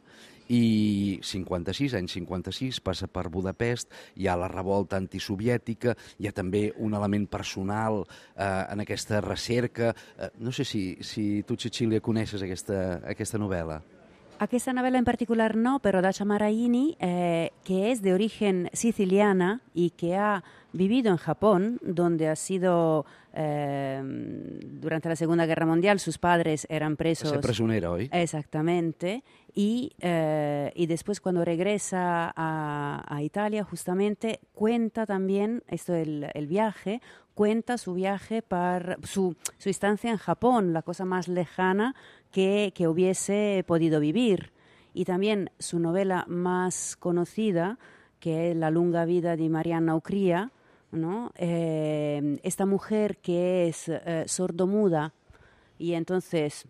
I 56, passa per Budapest, hi ha la revolta antisoviètica, hi ha també un element personal en aquesta recerca. No sé si tu, Cecilia, coneixes aquesta novel·la. Aquesta novela en particular no, pero Dacia Maraini, que es de origen siciliana y que ha vivido en Japón, donde ha sido, durante la Segunda Guerra Mundial, sus padres eran presos. Va ser presonera, oi? Exactamente. Y después cuando regresa a Italia, justamente, cuenta también, esto el viaje, cuenta su viaje, su estancia en Japón, la cosa más lejana que hubiese podido vivir. Y también su novela más conocida, que es La lunga vida de Marianna Ucría, ¿no? Esta mujer que es sordomuda y entonces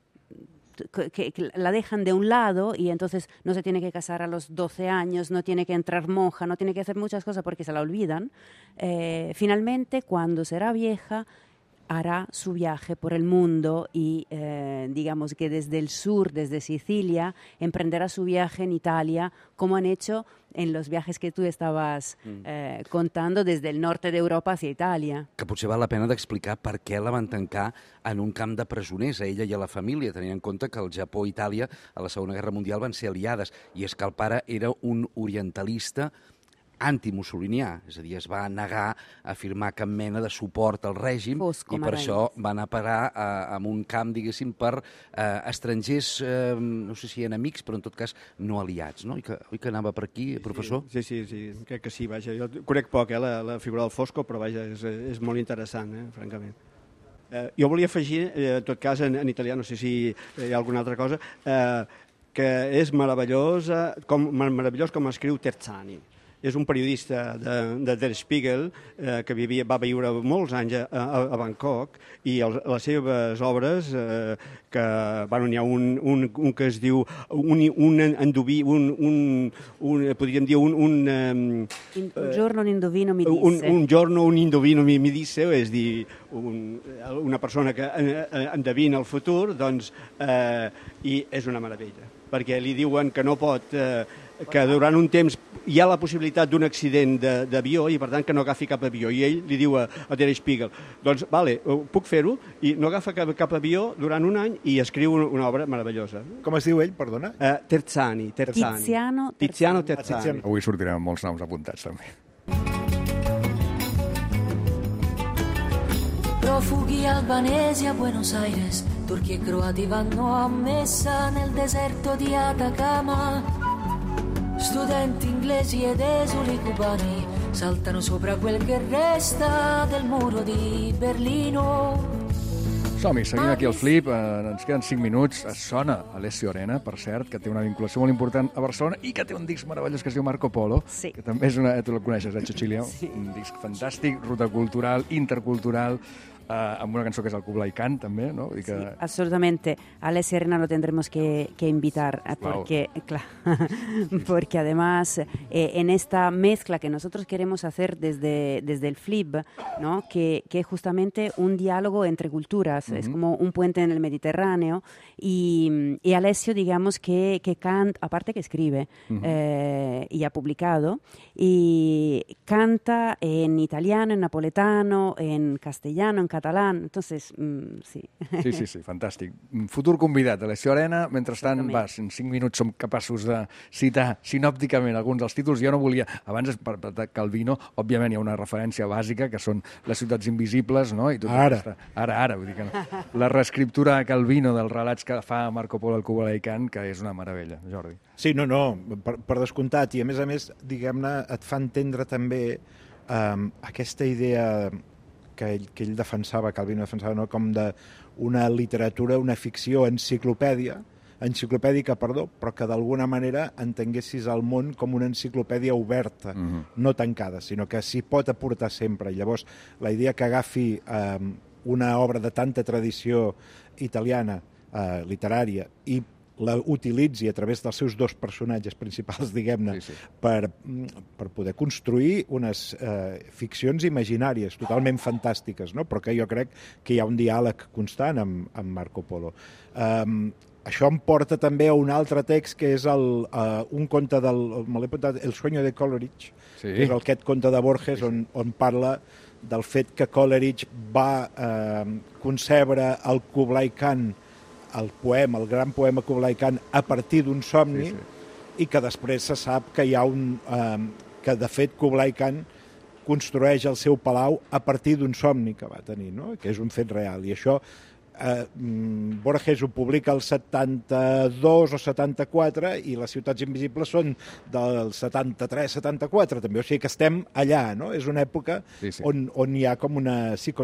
que la dejan de un lado y entonces no se tiene que casar a los 12 años, no tiene que entrar monja, no tiene que hacer muchas cosas porque se la olvidan. Finalmente, cuando será vieja, hará su viaje por el mundo y digamos que desde el sur, desde Sicilia, emprenderá su viaje en Italia, como han hecho en los viajes que tú estabas contando desde el norte de Europa hacia Italia. Que potser val la pena d'explicar per què la van tancar en un camp de presoners, a ella i a la família, tenint en compte que el Japó i Itàlia a la Segona Guerra Mundial van ser aliades, i és que el pare era un orientalista antimussolinià, és a dir, es va negar a firmar cap mena de suport al règim i per això va anar a parar a un camp, diguéssim, per estrangers, no sé si enemics, però en tot cas no aliats, no? Oi que anava per aquí, professor? Sí, crec que sí, vaja. Jo conec poc, la figura del Fosco, però vaja, és molt interessant, francament. Jo volia afegir, en tot cas, en italià, no sé si hi ha alguna altra cosa, que és meravellós com escriu Terzani. És un periodista de Der Spiegel que va viure molts anys a Bangkok i les seves obres, que hi ha un que es diu un endoví, podríem dir un giorno un indovino mi disse. Un giorno un indovino mi disse, és dir, una persona que endevina el futur, doncs, i és una meravella, perquè li diuen que no pot, que durant un temps hi ha la possibilitat d'un accident d'avió i, per tant, que no agafi cap avió. I ell li diu a Der Spiegel, doncs, vale, puc fer-ho, i no agafa cap avió durant un any i escriu una obra meravellosa. Com es diu ell, perdona? Terzani. Tiziano Terzani. Avui sortirem amb molts noms apuntats, també. Profughi albanesi a Buenos Aires, turchi e croati vanno a messa nel deserto di Atacama. Studenti inglesi ed esuli cubani saltano sopra quel che resta del muro di Berlino. Som-hi, seguim aquí al Flip, ens queden 5 minuts, sona Alessio Arena, per cert, que té una vinculació molt important a Barcelona i que té un disc meravellós que es diu Marco Polo, sí. Que també és tu el coneixes, Cecilia? Sí. Un disc fantàstic, ruta cultural, intercultural, amb una cançó que és el Kublai Khan, també, ¿no? Sí, absolutamente. Alessia Arena lo tendremos que invitar, porque, claro, porque además en esta mezcla que nosotros queremos hacer desde el FLIB, ¿no? Que es justamente un diálogo entre culturas, es como un puente en el Mediterráneo, y Alessio, digamos, que canta, aparte que escribe y ha publicado, y canta en italiano, en napoletano, en castellano, en catalán, entonces, sí. Sí, fantàstic. Futur convidat, Alessio Arena. Mentrestant, en 5 minuts som capaços de citar sinòpticament alguns dels títols. Jo no volia, abans per Calvino, òbviament hi ha una referència bàsica, que són les ciutats invisibles, no? I tot ara, vull dir que no. La reescriptura a Calvino dels relats que fa Marco Polo al Kublai Khan, que és una meravella, Jordi. Sí, no, per descomptat, i a més, diguem-ne, et fa entendre també aquesta idea que ell defensava, Calvino defensava, no? Com d'una literatura, una ficció enciclopèdica, però que d'alguna manera entenguessis el món com una enciclopèdia oberta, no tancada, sinó que s'hi pot aportar sempre. I llavors, la idea que agafi una obra de tanta tradició italiana, literària, i la utilitzi a través dels seus dos personatges principals, diguem-ne, per poder construir unes ficcions imaginàries totalment fantàstiques, no? Però que jo crec que hi ha un diàleg constant amb Marco Polo. Això em porta també a un altre text, que és un conte El sueño de Coleridge, que és aquest conte de Borges on parla del fet que Coleridge va concebre el Kublai Khan, el gran poema Kublai Khan, a partir d'un somni, i que després se sap que hi ha que de fet Kublai Khan construeix el seu palau a partir d'un somni que va tenir, no? Que és un fet real. I això Borges ho publica el 72 o 74 i les ciutats invisibles són del 73-74 també, o sigui que estem allà, no? És una època on hi ha com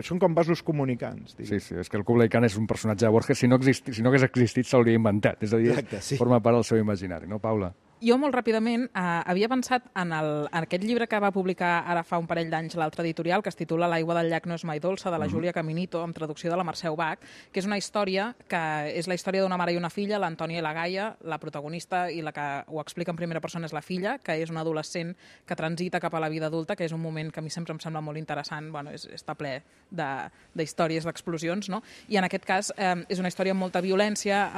són com vasos comunicants. Sí, és que el Kublai Khan és un personatge de Borges, si no hagués existit s'hauria inventat, és a dir, forma part del seu imaginari, no, Paula? Jo molt ràpidament havia pensat en aquest llibre que va publicar ara fa un parell d'anys l'altre editorial, que es titula L'aigua del llac no és mai dolça, de la Júlia Caminito, amb traducció de la Mercè Ubach, que és una història que és la història d'una mare i una filla, l'Antònia i la Gaia, la protagonista i la que ho explica en primera persona és la filla, que és una adolescent que transita cap a la vida adulta, que és un moment que a mi sempre em sembla molt interessant, bueno, està ple d'històries, d'explosions, no? I en aquest cas és una història amb molta violència,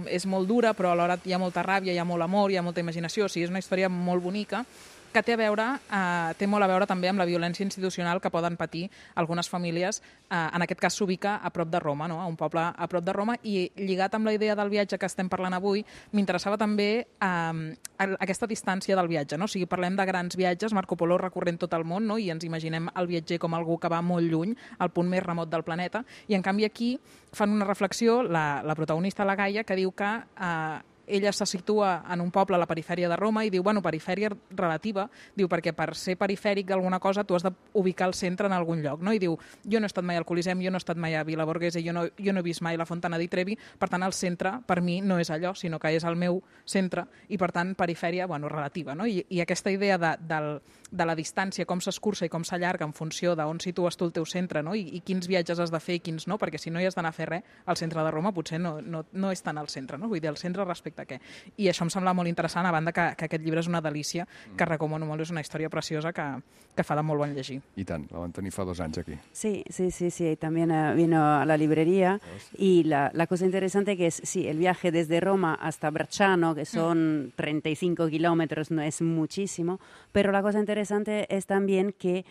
és molt dura, però alhora hi ha molta ràbia, hi ha molt amor, hi ha molta imaginació, o sigui, és una història molt bonica que té molt a veure també amb la violència institucional que poden patir algunes famílies. En aquest cas s'ubica a prop de Roma, no? A un poble a prop de Roma, i lligat amb la idea del viatge que estem parlant avui, m'interessava també aquesta distància del viatge, no? O sigui, parlem de grans viatges, Marco Polo recorrent tot el món, no? I ens imaginem el viatger com algú que va molt lluny, al punt més remot del planeta, i en canvi aquí fan una reflexió, la protagonista, la Gaia, que diu que ella se situa en un poble a la perifèria de Roma i diu, bueno, perifèria relativa, diu, perquè per ser perifèric d'alguna cosa tu has d'ubicar el centre en algun lloc, no? I diu, jo no he estat mai al Colisem, jo no he estat mai a Vila Borghese, jo no he vist mai la Fontana di Trevi, per tant el centre per mi no és allò, sinó que és el meu centre, i per tant perifèria, bueno, relativa, no? I aquesta idea de la distància, com s'escurça i com s'allarga en funció d'on situes tu el teu centre, no? I quins viatges has de fer i quins no, perquè si no hi has d'anar a fer res, al centre de Roma potser no és tant al centre, no? Vull dir, el centre respecte a què. I això em sembla molt interessant, a banda que aquest llibre és una delícia, que recomano molt, és una història preciosa que fa de molt bon llegir. I tant, la van tenir fa 2 anys aquí. Sí, también vino a la librería y la cosa interesante que es, sí, el viaje desde Roma hasta Bracciano, que son 35 kilómetros, no es muchísimo, pero la cosa interesante es también que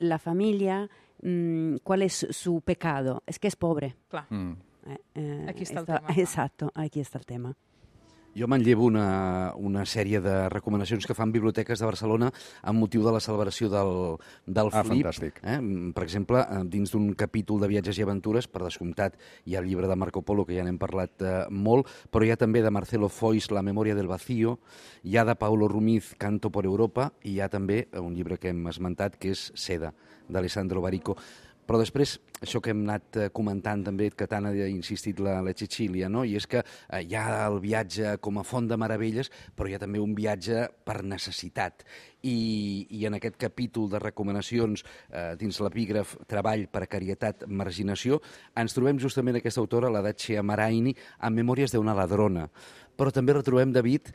la familia, ¿cuál es su pecado? Es que es pobre. Clar. Aquí està el tema. Exacto, aquí está el tema. Jo manllevo una sèrie de recomanacions que fan biblioteques de Barcelona amb motiu de la celebració del FLIB. Fantàstic. Per exemple, dins d'un capítol de viatges i aventures, per descomptat, hi ha el llibre de Marco Polo, que ja n'hem parlat molt, però hi ha també de Marcelo Foix, La memòria del vacío, hi ha de Paulo Rumiz, Canto por Europa, i hi ha també un llibre que hem esmentat, que és Seda, d'Alessandro Barico. Però després, això que hem anat comentant també, que tant ha insistit la Cecília, no? I és que hi ha el viatge com a font de meravelles, però hi ha també un viatge per necessitat. I en aquest capítol de recomanacions dins l'epígraf Treball, precarietat, marginació, ens trobem justament aquesta autora, la Dacia Maraini, amb Memòries d'una ladrona. Però també retrobem, David,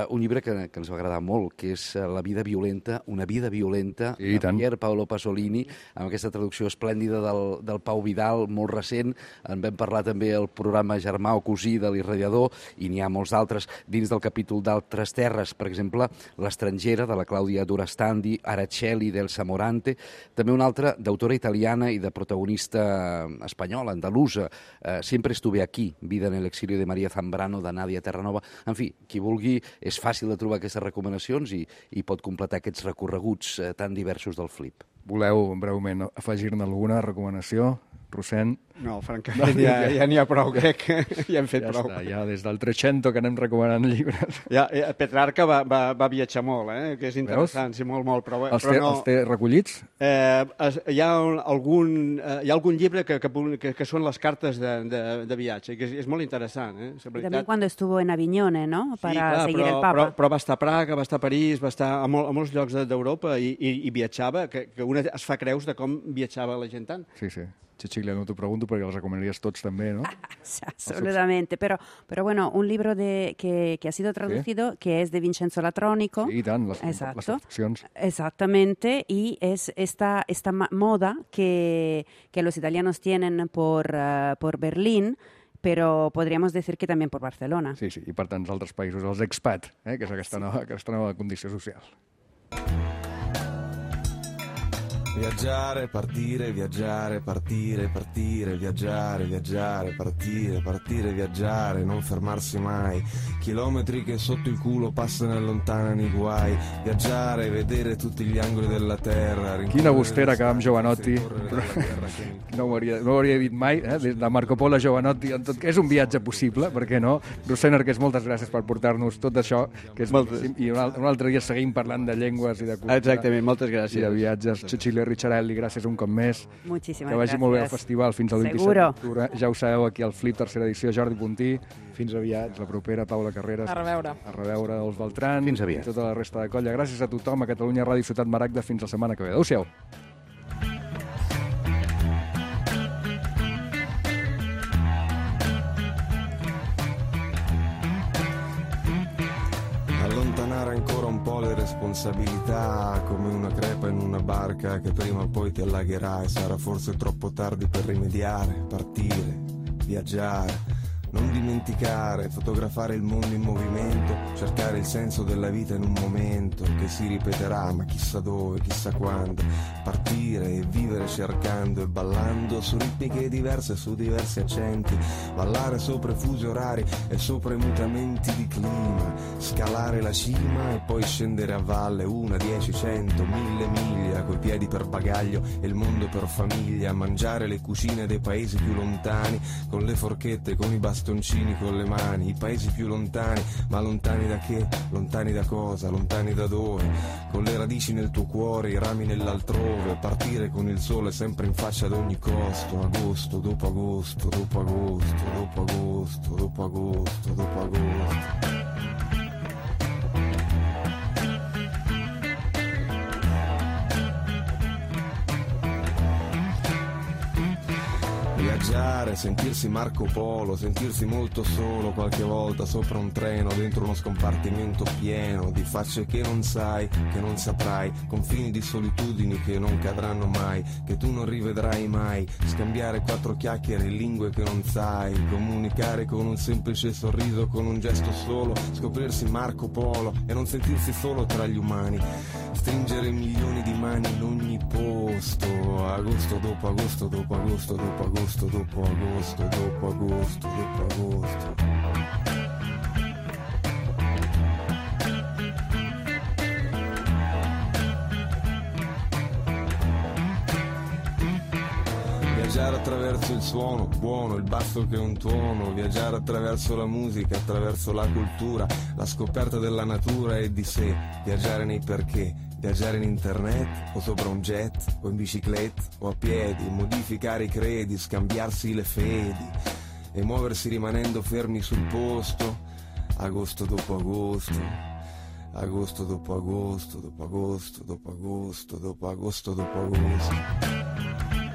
un llibre que ens va agradar molt, que és La vida violenta, una vida violenta, de Pier Paolo Pasolini, amb aquesta traducció esplèndida del Pau Vidal, molt recent. En vam parlar també al programa Germà o Cosí de l'Irradiador, i n'hi ha molts altres dins del capítol d'Altres terres, per exemple, L'estrangera, de la Clàudia Durastandi, Araceli, d'Elsa Morante, també una altra d'autora italiana i de protagonista espanyola, andalusa, Siempre estuve aquí, Vida en el exilio de María Zambrano, de Nadia Terranova. En fi, qui vulgui, és fàcil de trobar aquestes recomanacions i pot completar aquests recorreguts tan diversos del Flip. Voleu breument afegir-ne alguna recomanació? Rossèn? No, francament, ja n'hi ha prou, crec que ja hem fet prou. Ja està, ja des del 300 que anem recomanant llibres. Petrarca va viatjar molt, que és interessant, sí, molt, però no... Els té recollits? Hi ha algun llibre que són les cartes de viatge, que és molt interessant. També quan estuvo en Avinyone, ¿no? Para seguir el Papa. Però va estar a Praga, va estar a París, va estar a molts llocs d'Europa i viatjava, que una es fa creus de com viatjava la gent tant. Sí. Cecilia, no t'ho pregunto perquè els recomanaries tots també, ¿no? Absolutamente, pero bueno, un libro que ha sido traducido, que es de Vincenzo Latrónico. Sí, tant, les traduccions. Exactamente, y es esta moda que los italianos tienen por Berlín, però podríamos decir que també per Barcelona. Sí, i per tants altres països, els expat, que és aquesta nova condició social. Viaggiare, partire, viaggiare, partire, partire, viaggiare, viaggiare, partire, partire, viaggiare, non fermarsi mai. Chilometri che sotto il culo passano e allontanano i guai. Viaggiare, vedere tutti gli angoli della terra. Quina bustera que va amb Jovanotti. No ho hauria dit mai, des de Marco Polo a Jovanotti. És un viatge possible, per què no? Rossèn Arqués, moltes gràcies per portar-nos tot això, que és i un altre dia seguim parlant de llengües i de cultura. Exactament, moltes gràcies. I de viatges. Cecilia Ricciarelli, gràcies un cop més. Moltíssimes gràcies. Que vagi molt bé al festival fins al 27 d'octubre. Ja ho sabeu, aquí al Flip, tercera edició, Jordi Puntí. Fins aviat. La propera, Paula Carreras. A reveure els Beltran. Fins aviat. I tota la resta de colla. Gràcies a tothom, a Catalunya Ràdio Ciutat Maragda. Fins la setmana que ve. Adéu-siau. Allontanare ancora un po' le responsabilità, come una crepa in una barca che prima o poi ti allagherai. Sarà forse troppo tardi per rimediare, partire, viaggiare, non dimenticare, fotografare il mondo in movimento, cercare il senso della vita in un momento che si ripeterà, ma chissà dove, chissà quando. Partire e vivere cercando e ballando su ritmiche diverse, su diversi accenti. Ballare sopra i fusi orari e sopra i mutamenti di clima. Scalare la cima e poi scendere a valle 1, 10, 100, 1000 miglia, coi piedi per bagaglio e il mondo per famiglia. Mangiare le cucine dei paesi più lontani, con le forchette, con i bastoncini, con le mani. I paesi più lontani, ma lontani da che? Lontani da cosa? Lontani da dove? Con le radici nel tuo cuore, i rami nell'altrove. Partire con il sole sempre in faccia ad ogni costo. Agosto, dopo agosto, dopo agosto, dopo agosto, dopo agosto, dopo agosto. Viaggiare, sentirsi Marco Polo, sentirsi molto solo qualche volta sopra un treno, dentro uno scompartimento pieno di facce che non sai, che non saprai, confini di solitudini che non cadranno mai, che tu non rivedrai mai, scambiare 4 chiacchiere in lingue che non sai, comunicare con un semplice sorriso, con un gesto solo, scoprirsi Marco Polo e non sentirsi solo tra gli umani, stringere milioni di mani in ogni posto, agosto dopo agosto, dopo agosto, dopo agosto, dopo agosto, dopo agosto, dopo agosto. Viaggiare attraverso il suono, buono, il basso che è un tuono, viaggiare attraverso la musica, attraverso la cultura, la scoperta della natura e di sé, viaggiare nei perché, Viaggiare in internet o sopra un jet o in bicicletta o a piedi, modificare i credi, scambiarsi le fedi e muoversi rimanendo fermi sul posto, agosto dopo agosto, agosto dopo agosto, dopo agosto, dopo agosto, dopo agosto, dopo agosto.